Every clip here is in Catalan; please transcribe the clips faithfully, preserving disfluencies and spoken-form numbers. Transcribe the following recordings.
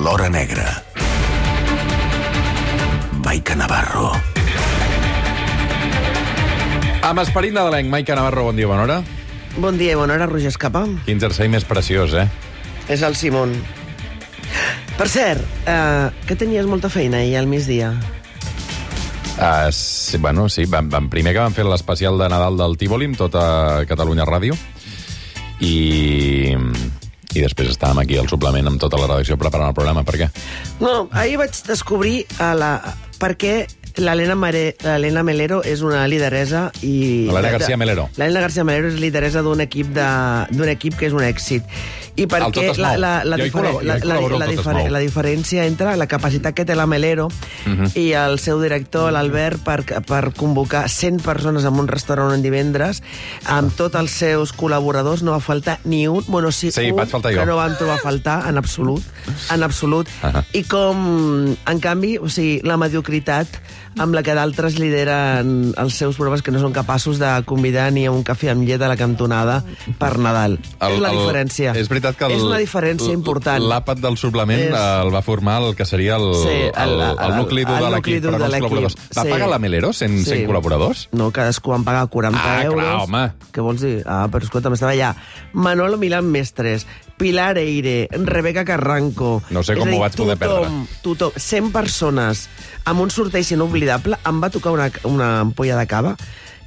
l'Hora Negra. Maica Navarro. Amb esperit nadalenc, Maica Navarro, bon dia, bona hora. Bon dia i bona hora, Roger Escapa. Quin jersei més preciós, eh? És el Simón. Per cert, eh, que tenies molta feina ahir al migdia? Uh, sí, bueno, sí, vam, vam, primer que vam fer l'especial de Nadal del Tívoli amb tota Catalunya Ràdio i, i després estàvem aquí al suplement amb tota la redacció preparant el programa. Per què? No, ahir vaig descobrir a la... per què l'Helena Mare... l'Helena Melero és una lideresa i... L'Helena García Melero. L'Helena García Melero és lideresa d'un equip, de... d'un equip que és un èxit. I per El què Tot es la, mou. la, la, Jo hi difere... col·laboro, la, jo hi la, col·laboro la, al Tot es difere... mou. la diferència entre la capacitat que té la Melero uh -huh. i el seu director, l'Albert, per, per convocar cent persones en un restaurant en divendres, amb tots els seus col·laboradors, no va faltar ni un... Bueno, sí, Sí, un vaig faltar jo. que no van trobar a faltar, en absolut. En absolut. Uh -huh. I com, en canvi, o sigui, la mediocritat amb la que d'altres lideren els seus programes que no són capaços de convidar ni a un cafè amb llet a la cantonada per Nadal. El, és la el, diferència. És veritat que el, és una diferència important. L'àpat del suplement És... el va formar el que seria el, Sí, el, el, el nucli dur el de nucli l'equip, dur però no de els l'equip. col·laboradors. Va Sí. pagar la Melero cent, Sí. cent col·laboradors? No, cadascú en paga quaranta Ah, clar, euros. home. Què vols dir? Ah, però escolta, m'estava allà. Manolo Milán Mestres, Pilar Eire, Rebeca Carranco... No sé com És a dir, ho vaig poder tothom, tothom, cent persones, amb un sorteig inoblidable. Em va tocar una, una ampolla de cava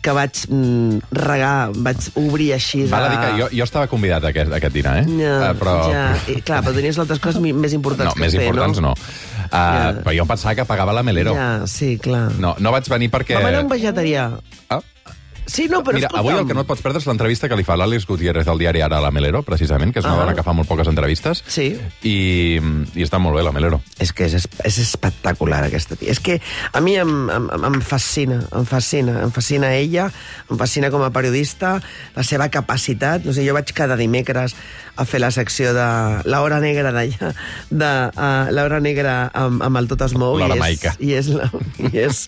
que vaig mm, regar, vaig obrir així... Val a dir que jo, jo estava convidat a aquest, a aquest dinar, eh? Ja, uh, però... ja. I, clar, però tenies altres coses mi- més importants No, que més fer, importants no? no. Uh, ja. Però jo em pensava que pagava la Melero. Ja, sí, clar. No, no vaig venir perquè... Vam anar a un vegetarià. Ah. Sí, no, però Mira, escolta'm... avui el que no et pots perdre és l'entrevista que li fa l'Àlex Gutiérrez del diari Ara a la Melero, precisament, que és una Ah. dona que fa molt poques entrevistes. Sí. I, i està molt bé, la Melero. És que és, és espectacular, aquesta tia. És que a mi em, em, em fascina, em fascina. Em fascina ella, em fascina com a periodista, la seva capacitat. No sé, jo vaig cada dimecres a fer la secció de l'Hora Negra d'allà, de uh, l'Hora Negra amb, amb el Tot es mou. L'Hora i és- Maica. I és, la, i és,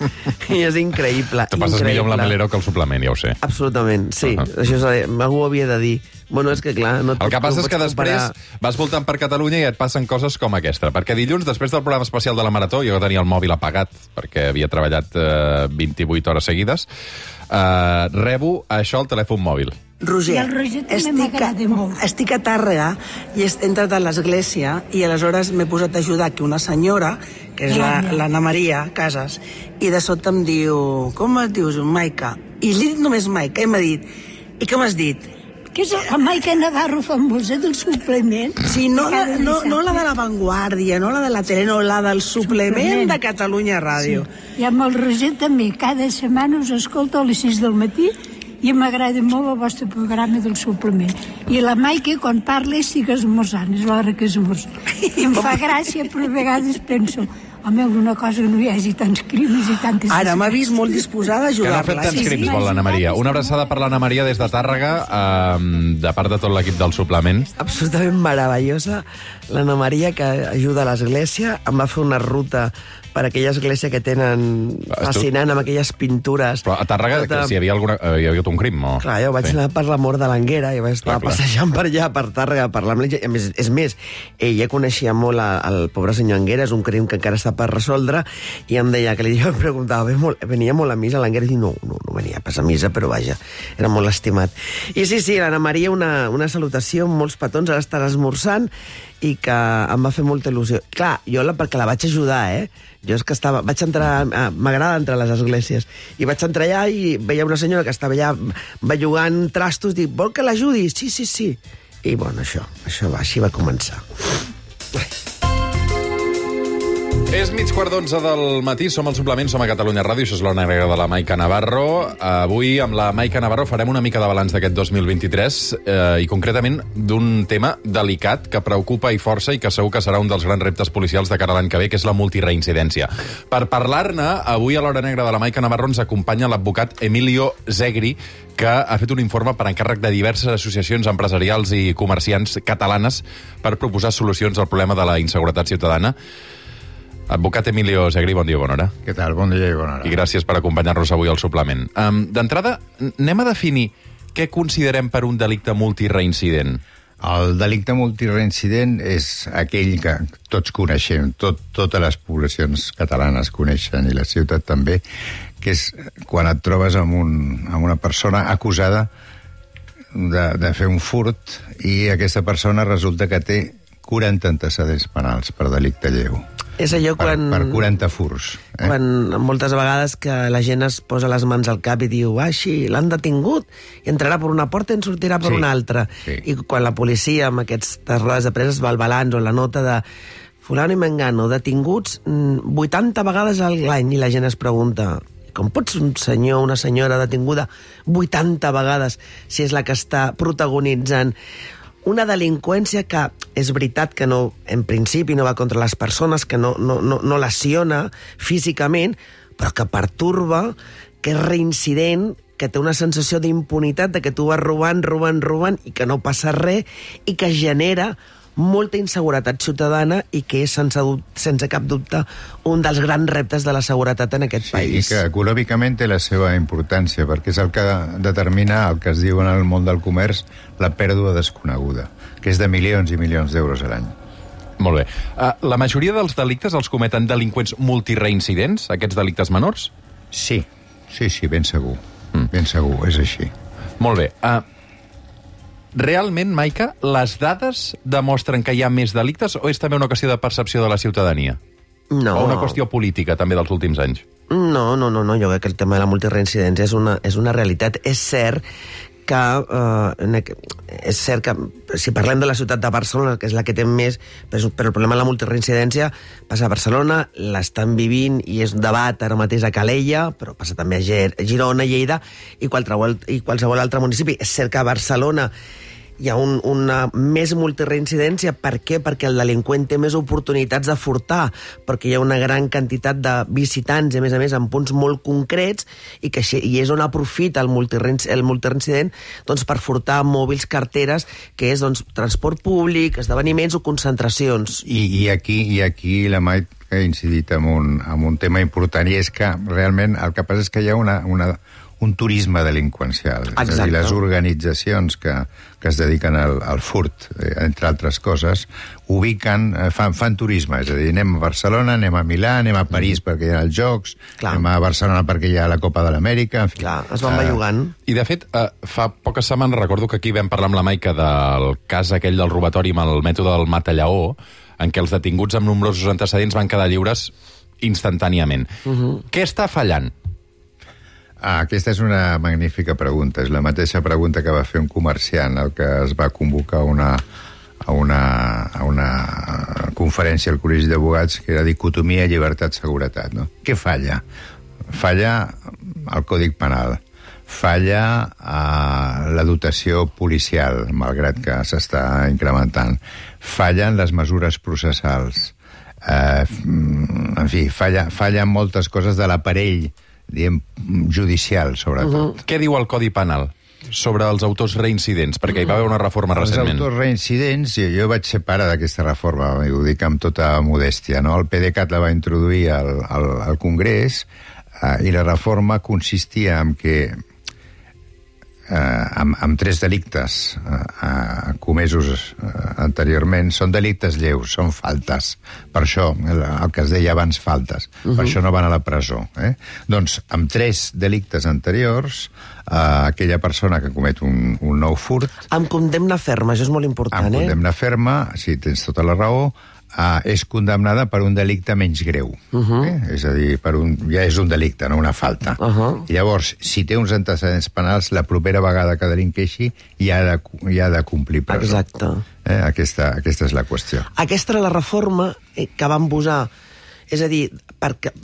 i és increïble. Tu passes increïble. millor amb la Melero que el suplement, ja ho sé. Absolutament, sí. Uh -huh. Això és, algú ho havia de dir. Bueno, és que clar... No El que passa no és que pots després comparar. vas voltant per Catalunya i et passen coses com aquesta. Perquè dilluns, després del programa especial de la Marató, jo tenia el mòbil apagat perquè havia treballat eh, vint-i-vuit hores seguides, eh, rebo això al telèfon mòbil. Roger, I el Roger també estic, m'agrada molt. estic a Tàrrega i he entrat a l'església i aleshores m'he posat a ajudar aquí una senyora, que és la- l'Anna Maria Casas, i de sobte em diu, com et dius, Maica? I li he dit només Maica, i m'ha dit, i què m'has dit? Que és la Maica Navarro famosa del suplement. Sí, no, Cada la, no, no la de La Vanguardia, no la de la tele, no, la del suplement, Suplement. de Catalunya Ràdio. Sí. I amb el Roger també, cada setmana us escolto a les sis del matí i m'agrada molt el vostre programa del suplement. I la Maica, quan parla, estic esmorzant, és l'hora que esmorzo. I em fa gràcia, però a vegades penso, home, alguna cosa que no hi hagi tants crims i tantes... Ara m'ha vist molt disposada a Que no ha fet ajudar-la. tants Sí, crims, sí. vol l'Anna Maria. Una abraçada per l'Anna Maria des de Tàrrega, eh, de part de tot l'equip del suplement. Absolutament meravellosa. L'Anna Maria, que ajuda a l'església, em va fer una ruta per aquella església que tenen fascinant, amb aquelles pintures. Però a Tàrrega, Tota- que si hi havia, alguna, eh, hi havia hagut un crim, o... Clar, jo vaig Sí. anar per la mort de l'Anguera i vaig estar Clar, clar. passejant per allà, per Tàrrega, parlar amb ella. A més, és més, ella coneixia molt a- el pobre senyor Anguera, és un crim que encara està per resoldre, i em deia que li jo em preguntava, "Ve molt, venia molt a missa l'Anguera?" I dic, no, no, no venia pas a missa, però vaja, era molt estimat. I sí, sí, l'Anna Maria, una, una salutació amb molts petons, ara estarà esmorzant, i que em va fer molta il·lusió. Clar, jo la, perquè la vaig ajudar, eh? Jo és que estava, vaig entrar, eh, m'agrada entrar a les esglésies, i vaig entrar allà i veia una senyora que estava allà bellugant trastos, dic, vol que l'ajudi? Sí, sí, sí. I bueno, això, això va, així va començar. És mig quart d'onze del matí, som al suplement, som a Catalunya Ràdio, això és l'Hora Negra de la Maica Navarro. Avui, amb la Maica Navarro, farem una mica de balanç d'aquest dos mil vint-i-tres eh, i concretament d'un tema delicat que preocupa i força i que segur que serà un dels grans reptes policials de cara a l'any que ve, que és la multireincidència. Per parlar-ne, avui a l'Hora Negra de la Maica Navarro ens acompanya l'advocat Emilio Zegri, que ha fet un informe per encàrrec de diverses associacions empresarials i comerciants catalanes per proposar solucions al problema de la inseguretat ciutadana. Advocat Emilio Zegri, bon dia, bona hora. Què tal? Bon dia i bona hora. I gràcies per acompanyar-nos avui al suplement. Um, D'entrada, anem a definir què considerem per un delicte multireincident. El delicte multireincident és aquell que tots coneixem, tot, totes les poblacions catalanes coneixen, i la ciutat també, que és quan et trobes amb, un, amb una persona acusada de, de fer un furt i aquesta persona resulta que té quaranta antecedents penals per delicte lleu. És allò quan... Per, per quaranta furs. Eh? Quan moltes vegades que la gent es posa les mans al cap i diu ah, sí, l'han detingut, i entrarà per una porta i en sortirà per sí, una altra. Sí. I quan la policia, amb aquestes rodes de presa, es va al balanç o la nota de fulano i mengano, detinguts vuitanta vegades a l'any, i la gent es pregunta com pots un senyor, una senyora detinguda vuitanta vegades si és la que està protagonitzant una delinqüència que és veritat que no, en principi no va contra les persones, que no, no, no, no lesiona físicament, però que perturba, que és reincident, que té una sensació d'impunitat, de que tu vas robant, robant, robant, i que no passa res, i que genera molta inseguretat ciutadana i que és, sense, sense cap dubte, un dels grans reptes de la seguretat en aquest sí, país. I que econòmicament té la seva importància, perquè és el que determina el que es diu en el món del comerç la pèrdua desconeguda, que és de milions i milions d'euros a l'any. Molt bé. Uh, la majoria dels delictes els cometen delinqüents multireincidents, aquests delictes menors? Sí, sí, sí, ben segur. Mm. Ben segur, és així. Molt bé. Uh, Realment, Maica, les dades demostren que hi ha més delictes o és també una qüestió de percepció de la ciutadania? No. O una qüestió política, també, dels últims anys? No, no, no, no. Jo crec que el tema de la multireincidència és una, és una realitat. És cert que eh, és cert que si parlem de la ciutat de Barcelona, que és la que té més, però el problema de la multireincidència passa a Barcelona, l'estan vivint i és un debat ara mateix a Calella, però passa també a Girona, Lleida i qualsevol, i qualsevol altre municipi. És cert que a Barcelona hi ha un, una més multireincidència. Per què? Perquè el delinqüent té més oportunitats de furtar, perquè hi ha una gran quantitat de visitants, i a més a més en punts molt concrets, i, que, i és on aprofita el multireincident, el multireincident doncs, per furtar mòbils, carteres, que és doncs, transport públic, esdeveniments o concentracions. I, i, aquí, i aquí la Mai ha incidit en un, en un tema important, i és que realment el que passa és que hi ha una... una un turisme delinqüencial. Exacte. És a dir, les organitzacions que, que es dediquen al, al furt, eh, entre altres coses, ubiquen, eh, fan, fan turisme, és a dir, anem a Barcelona, anem a Milà, anem a París mm. perquè hi ha els Jocs, Clar. anem a Barcelona perquè hi ha la Copa de l'Amèrica, en fi. Clar, es van bellugant. Uh, I, de fet, uh, fa poques setmanes recordo que aquí vam parlar amb la Maica del cas aquell del robatori amb el mètode del matallaó, en què els detinguts amb nombrosos antecedents van quedar lliures instantàniament. Uh-huh. Què està fallant? Ah, aquesta és una magnífica pregunta. És la mateixa pregunta que va fer un comerciant el que es va convocar una, a, una, a una conferència al Col·legi d'Advocats, que era dicotomia, llibertat, seguretat. No? Què falla? Falla el Còdic Penal. Falla eh, la dotació policial, malgrat que s'està incrementant. Fallen les mesures processals. Eh, en fi, falla, fallen moltes coses de l'aparell, diem, judicial, sobretot. Uh-huh. Què diu el Codi Penal sobre els autors reincidents? Perquè hi va haver una reforma recentment. Els autors reincidents, jo, jo vaig ser pare d'aquesta reforma, ho dic amb tota modèstia, no? El PDeCAT la va introduir al, al, al Congrés eh, i la reforma consistia en que eh, amb, amb tres delictes eh, eh, comesos eh, anteriorment, són delictes lleus, són faltes. Per això, el, el que es deia abans faltes. Uh-huh. Per això no van a la presó. Eh? Doncs, amb tres delictes anteriors, eh, aquella persona que comet un, un nou furt... Amb condemna ferma, això és molt important, amb eh? Amb condemna ferma, sí, tens tota la raó, Uh, és condemnada per un delicte menys greu. Uh-huh. eh? És a dir, per un, ja és un delicte, no una falta. Uh-huh. I llavors, si té uns antecedents penals, la propera vegada que delinqueixi ja ha de, ja ha de complir presó. Exacte. Eh? Aquesta, aquesta és la qüestió. Aquesta era la reforma que van posar. És a dir, perquè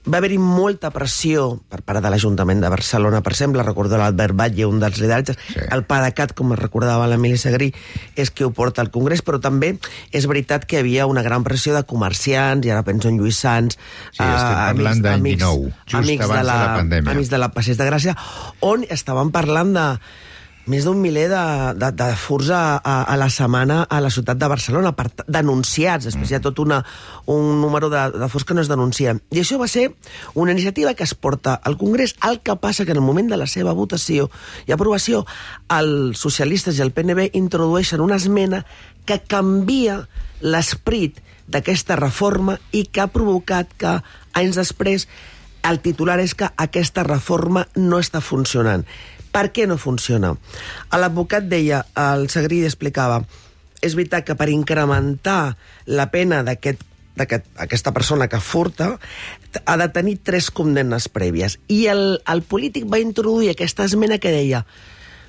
va haver-hi molta pressió per part de l'Ajuntament de Barcelona, per exemple, recordo l'Albert Batlle, un dels lideratges, sí. El PDeCAT, com es recordava l'Emili Segrí, és qui ho porta al Congrés, però també és veritat que hi havia una gran pressió de comerciants, i ara penso en Lluís Sans, sí, estem parlant d'any dinou, just abans de la, de la pandèmia. Amics de la Passeig de Gràcia, on estaven parlant de més d'un miler de, de, de furs a, a, a la setmana a la ciutat de Barcelona, per, denunciats. Després hi ha tot una, un número de, de furs que no es denuncien. I això va ser una iniciativa que es porta al Congrés, el que passa que en el moment de la seva votació i aprovació, els socialistes i el P N B introdueixen una esmena que canvia l'esperit d'aquesta reforma i que ha provocat que, anys després, el titular és que aquesta reforma no està funcionant. Per què no funciona? L'advocat deia, el Segrí explicava, és veritat que per incrementar la pena d'aquest d'aquesta persona que furta ha de tenir tres condemnes prèvies. I el, el polític va introduir aquesta esmena que deia,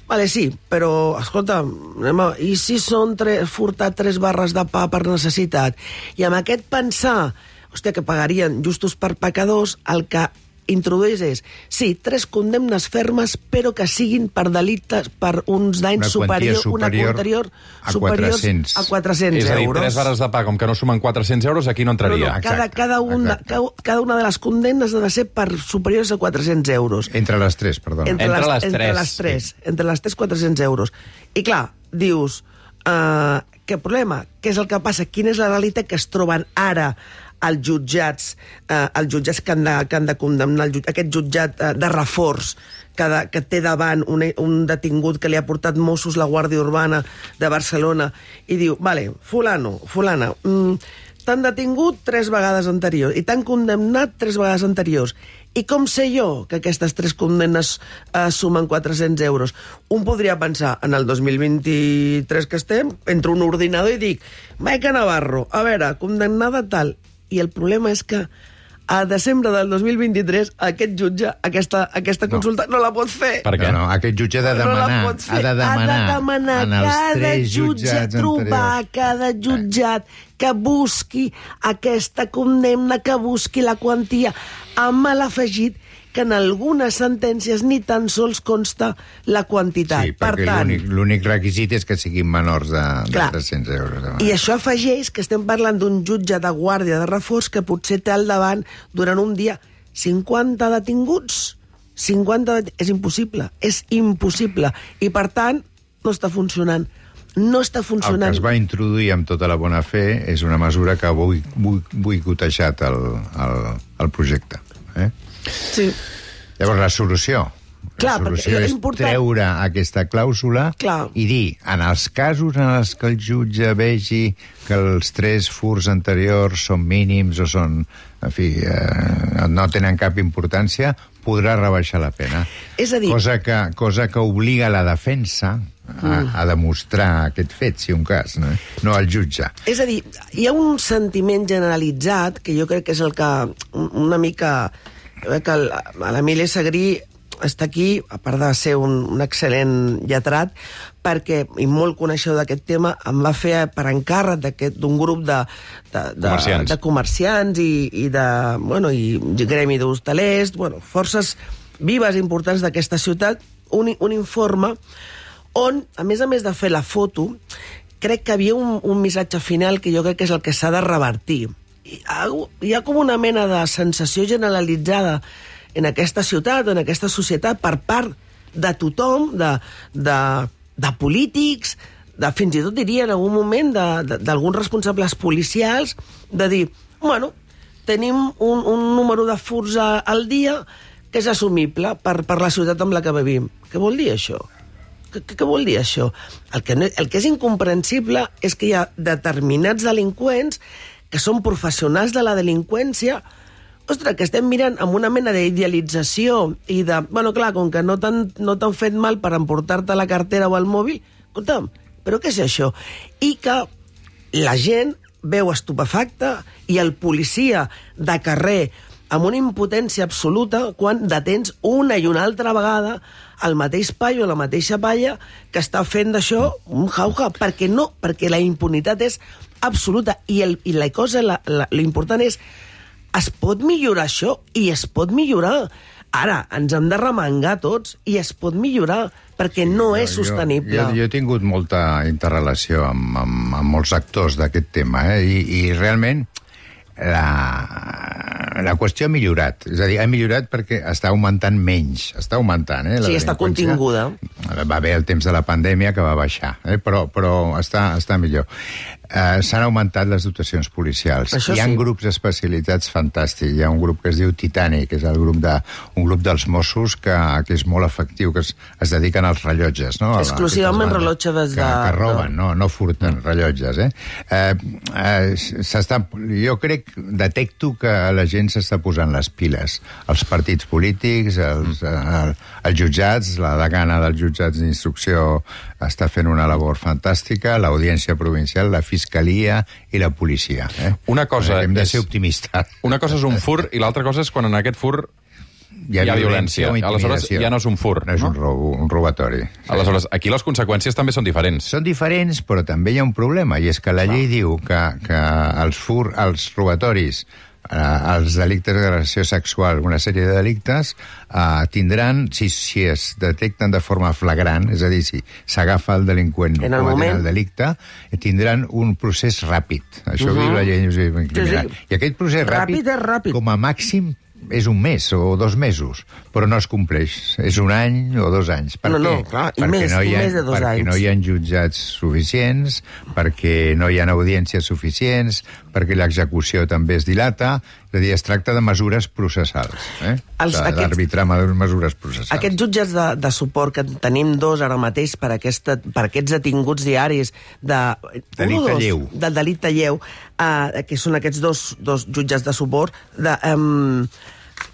vale, sí, però, escolta, anem a, i si són tre, furtat tres barres de pa per necessitat? I amb aquest pensar, hòstia, que pagarien justos per pecadors, el que introdueix és, sí, tres condemnes fermes, però que siguin per delictes, per uns danys superior, superior, una anterior a quatre-cents. a quatre-cents euros. És a dir, euros. tres barres de pa, com que no sumen quatre-cents euros, aquí no entraria. No, no, cada, cada, una, cada, cada una de les condemnes ha de ser per superiors a quatre-cents euros. Entre les tres, perdó. Entre, entre les, les entre tres. les tres. Sí. Entre les tres, quatre-cents euros. I clar, dius, uh, què problema? Què és el que passa? Quina és la realitat que es troben ara els jutjats, eh, els jutjats que han de, que han de condemnar, el, aquest jutjat eh, de reforç que, de, que té davant un, un detingut que li ha portat Mossos la Guàrdia Urbana de Barcelona i diu, vale, fulano, fulana, mm, t'han detingut tres vegades anteriors i t'han condemnat tres vegades anteriors. I com sé jo que aquestes tres condemnes eh, sumen quatre-cents euros? Un podria pensar, en el dos mil vint-i-tres que estem, entro un ordinador i dic, Maica Navarro, a veure, condemnada tal. I el problema és que a desembre del dos mil vint-i-tres aquest jutge, aquesta, aquesta consulta no. no la pot fer. Per què? No, no, aquest jutge ha de demanar, no ha de demanar, ha de demanar en els cada tres jutge, jutjats trobar anteriors. cada jutjat que busqui aquesta condemna, que busqui la quantia, amb l'afegit que en algunes sentències ni tan sols consta la quantitat. Sí, perquè per tant, l'únic requisit és que siguin menors de, de clar, tres-cents euros. I això afegeix que estem parlant d'un jutge de guàrdia de reforç que potser té al davant, durant un dia, cinquanta detinguts. cinquanta det... És impossible, és impossible. I, per tant, no està funcionant. No està funcionant. El que es va introduir amb tota la bona fe és una mesura que ha boicotejat el, el, el projecte. Eh? Sí. Llavors, la solució... Clar, la solució és important... treure aquesta clàusula Clar. i dir, en els casos en els que el jutge vegi que els tres furs anteriors són mínims o són, en fi, eh, no tenen cap importància, podrà rebaixar la pena. És a dir... Cosa que, cosa que obliga la defensa a, mm. a demostrar aquest fet, si un cas, no? no el jutge. És a dir, hi ha un sentiment generalitzat que jo crec que és el que una mica... que l'Emili Segrí està aquí, a part de ser un, un excel·lent lletrat, perquè, i molt coneixedor d'aquest tema, em va fer per encàrrec d'un grup de, de, de, comerciants. de comerciants i, i de, bueno, i gremi d'hostalers, bueno, forces vives i importants d'aquesta ciutat, un, un informe on, a més a més de fer la foto, crec que havia un, un missatge final que jo crec que és el que s'ha de revertir. Hi ha, hi ha com una mena de sensació generalitzada en aquesta ciutat, en aquesta societat, per part de tothom, de, de, de polítics, de, fins i tot diria en algun moment d'alguns responsables policials, de dir, bueno, tenim un, un número de furs al dia que és assumible per, per la ciutat amb la que vivim. Què vol dir això? Què, què vol dir això? El que, no, el que és incomprensible és que hi ha determinats delinqüents que són professionals de la delinqüència, ostres, que estem mirant amb una mena d'idealització i de, bueno, clar, com que no t'han no t'han fet mal per emportar-te la cartera o el mòbil, escolta'm, però què és això? I que la gent veu estupefacta i el policia de carrer amb una impotència absoluta quan detens una i una altra vegada el mateix paio, la mateixa palla que està fent d'això un jauja, perquè no, perquè la impunitat és absoluta i, el, i la cosa, la, la, l'important és es pot millorar això i es pot millorar. Ara, ens hem de remengar tots i es pot millorar perquè no és sostenible. Jo, jo, jo he tingut molta interrelació amb, amb, amb molts actors d'aquest tema, eh? I, i realment la, la qüestió ha millorat. És a dir, ha millorat perquè està augmentant menys. Està augmentant, eh? La Sí, està delinqüència. continguda. Va haver el temps de la pandèmia que va baixar, eh? però, però està, està millor. Uh, S'han augmentat les dotacions policials. Això Hi ha sí. grups especialitzats fantàstics. Hi ha un grup que es diu Titanic, que és el grup de, un grup dels Mossos que, que és molt efectiu, que es, es dediquen als rellotges. No? Exclusivament rellotge des de... Que, que roben, no, no furten rellotges. Eh? Eh, eh, s'està, jo crec, detecto que la gent s'està posant les piles. Els partits polítics, els, el, els jutjats, la degana dels jutjats d'instrucció està fent una labor fantàstica, l'audiència provincial, la fiscalia i la policia. Eh? Una cosa Hem de és- ser optimistes. Una cosa és un fur i l'altra cosa és quan en aquest fur hi ha violència. o Aleshores, intimidació. ja no és un fur, No és no? un, robo, un robatori. Sí. Aleshores, aquí les conseqüències també són diferents. Són diferents, però també hi ha un problema, i és que la llei diu que, que els, fur, els robatoris, eh, els delictes d'agressió sexual, una sèrie de delictes, eh, tindran, si, si es detecten de forma flagrant, és a dir, si s'agafa el delinqüent En el cometent moment. el delicte, eh, tindran un procés ràpid. Això uh -huh. diu la llei criminal. Sí, sí. I aquest procés ràpid, Ràpid és ràpid. com a màxim, és un mes o dos mesos, però no es compleix. És un any o dos anys. Per No, no, què? clar, i perquè més, no hi ha, i més de dos perquè anys. no hi ha jutjats suficients, perquè no hi ha audiències suficients, perquè l'execució també es dilata. És a dir, es tracta de mesures processals. Eh? Els- De- aquests- D'arbitrar mesures processals. Aquests jutges de, de suport que tenim dos ara mateix per, aquesta, per aquests detinguts diaris de... Delicte un o dos, lleu. Del delicte lleu, uh, que són aquests dos, dos jutges de suport de, um,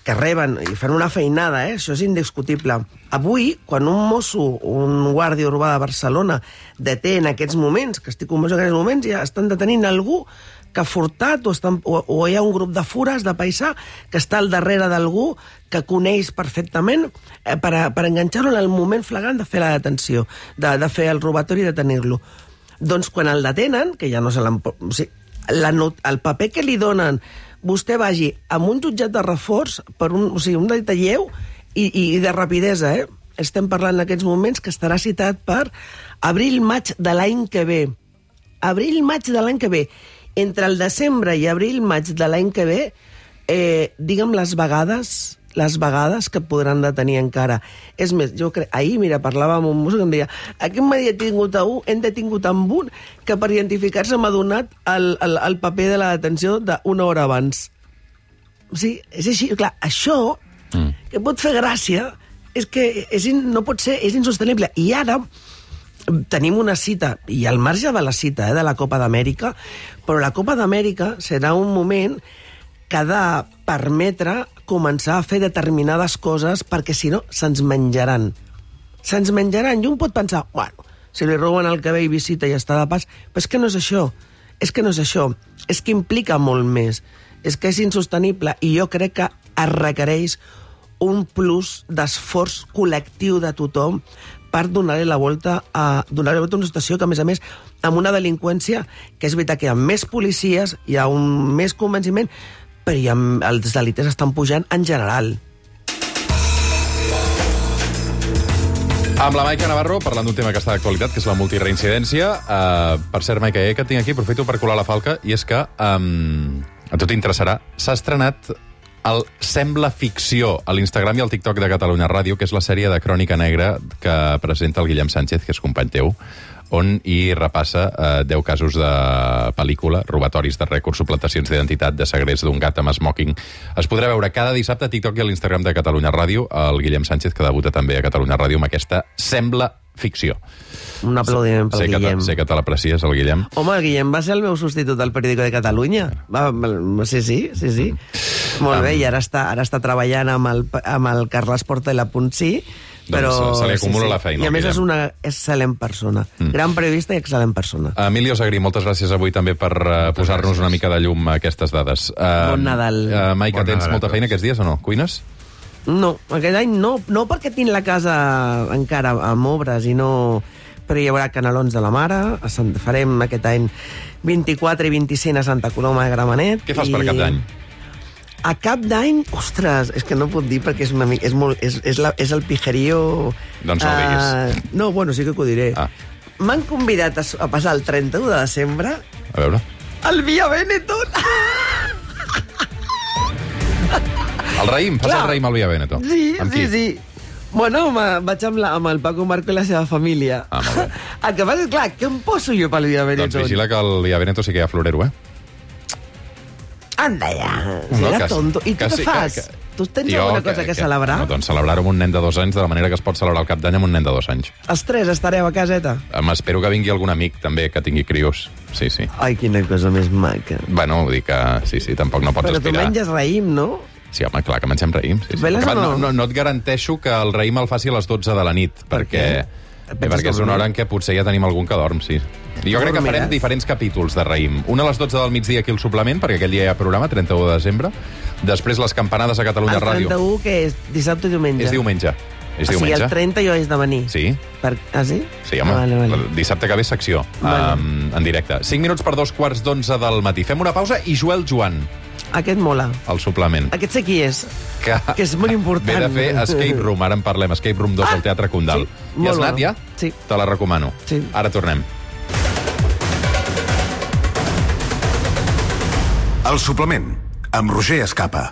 que reben i fan una feinada, eh? Això és indiscutible. Avui, quan un mosso, un guàrdia urbà de Barcelona deté en aquests moments, que estic convençut que en aquests moments ja estan detenint algú que ha furtat o, estan, o, o hi ha un grup de fures de paisà que està al darrere d'algú que coneix perfectament eh, per, a, per enganxar-lo en el moment flagrant de fer la detenció, de, de fer el robatori i de tenir-lo. Doncs quan el detenen, que ja no se l'han... O sigui, la not, el paper que li donen, vostè vagi amb un jutjat de reforç per un, o sigui, un delicte lleu i, i de rapidesa, eh? Estem parlant en aquests moments que estarà citat per abril-maig de l'any que ve. Abril-maig de l'any que ve. Entre el desembre i abril-maig de l'any que ve, eh, digue'm les vegades les vegades que podran detenir encara. És més, jo crec... Ahir, mira, parlava amb un mosso que em deia aquest m'ha detingut a un, hem detingut amb un que per identificar-se m'ha donat el, el, el paper de la detenció d'una hora abans. O sigui, és així. Clar, això, mm. que pot fer gràcia, és que és, in, no pot ser, és insostenible. I ara tenim una cita, i al marge de la cita eh, de la Copa d'Amèrica, però la Copa d'Amèrica serà un moment que ha de permetre començar a fer determinades coses perquè, si no, se'ns menjaran. Se'ns menjaran. I un pot pensar, bueno, si li roben el que ve i visita i està de pas, però és que no és això. És que no és això. És que implica molt més. És que és insostenible i jo crec que es requereix un plus d'esforç col·lectiu de tothom per donar-li la volta a donar-li la volta a una situació que, a més a més, amb una delinqüència que és veritat que hi ha més policies, hi ha un més convenciment, però hi ha, els delictes estan pujant en general. Amb la Maica Navarro, parlant d'un tema que està d'actualitat, que és la multireincidència. Uh, per cert, Maica, eh, que et tinc aquí, aprofito per colar la falca, i és que, um, a tu t'interessarà, s'ha estrenat el Sembla Ficció a l'Instagram i al TikTok de Catalunya Ràdio, que és la sèrie de Crònica Negra que presenta el Guillem Sánchez, que és company teu, on hi repassa eh, deu casos de pel·lícula, robatoris de rècords, suplantacions d'identitat, de segrets d'un gat amb smoking. Es podrà veure cada dissabte a TikTok i a l'Instagram de Catalunya Ràdio, el Guillem Sánchez, que debuta també a Catalunya Ràdio amb aquesta Sembla Ficció. Un aplaudiment pel sé Guillem. Que sé que te l'aprecies, el Guillem. Home, el Guillem va ser el meu substitut al Periódico de Catalunya. Va, sí, sí, sí, sí. Molt bé, i ara està, ara està treballant amb el, amb el Carles Porta i la Puntí, però... Doncs se li acumula sí, sí. la feina, I a més Guillem. és una excel·lent persona. Mm. Gran periodista i excel·lent persona. Emilio Sagrí, moltes gràcies avui també per uh, posar-nos una mica de llum a aquestes dades. Uh, Bon Nadal. Uh, Maica, Bon tens Nadal a molta tots. feina aquests dies o no? Cuines? No, aquest any no, no perquè tinc la casa encara amb obres i no... Però hi haurà canelons de la mare, a Sant... farem aquest any vint-i-quatre i vint-i-cinc a Santa Coloma de Gramenet. Què fas i... per cap d'any? A cap d'any, ostres, és que no puc dir perquè és, una mica, és, molt, és, és, la, és el pijerío... Doncs no ho diguis. No, bueno, sí que ho diré. Ah. M'han convidat a, a passar el trenta-u de desembre A veure... al Via Benetton. El raïm, fas Clar. el raïm al Via Veneto. Sí, Amb sí, qui? sí. Bueno, ma, vaig amb, la, amb el Paco Marco i la seva família. Ah, molt bé. El que passa és, clar, què em poso jo pel Via Veneto? Doncs vigila que al Via Veneto sí que hi ha florero, eh? Anda ja, si No, era que- tonto. I tu que què sí, fas? que- que- Tu tens Jo, alguna cosa que, celebrar? No, doncs celebrar-ho amb un nen de dos anys de la manera que es pot celebrar el cap d'any amb un nen de dos anys. Els tres estareu a caseta? M'espero que vingui algun amic, també, que tingui crios. Sí, sí. Ai, quina cosa més maca. Bueno, vull dir que sí, sí, tampoc no pots Però tu aspirar. menges raïm, no? Sí, home, clar que mengem raïm. Sí, sí. Veles Perquè, o no? no, no, no et garanteixo que el raïm el faci a les dotze de la nit, Per perquè, què? eh, Penses perquè és una dormir? hora en què potser ja tenim algun que dorm, sí. Jo crec que farem Dormiràs? diferents capítols de raïm. Un a les dotze del migdia aquí al suplement, perquè aquell dia hi ha programa, trenta-u de desembre. Després les campanades a Catalunya El Ràdio. trenta-u, que és? Dissabte i diumenge? És diumenge. És o sigui, diumenge. el trenta jo és de venir. Sí. Per... Ah, sí? Sí, home, Ah, vale, vale. el dissabte que ve secció, Vale. um, en directe. cinc minuts per dos quarts d'onze del matí. Fem una pausa i Joel Joan, Aquest mola. al suplement. Aquest sé qui és. Que, Que és molt important. ve de fer Escape Room, ara en parlem, Escape Room dos Ah, al Teatre Condal. sí, I molt has anat bueno. ja? Sí. Te la recomano. Sí. Ara tornem. El suplement, amb Roger Escapa.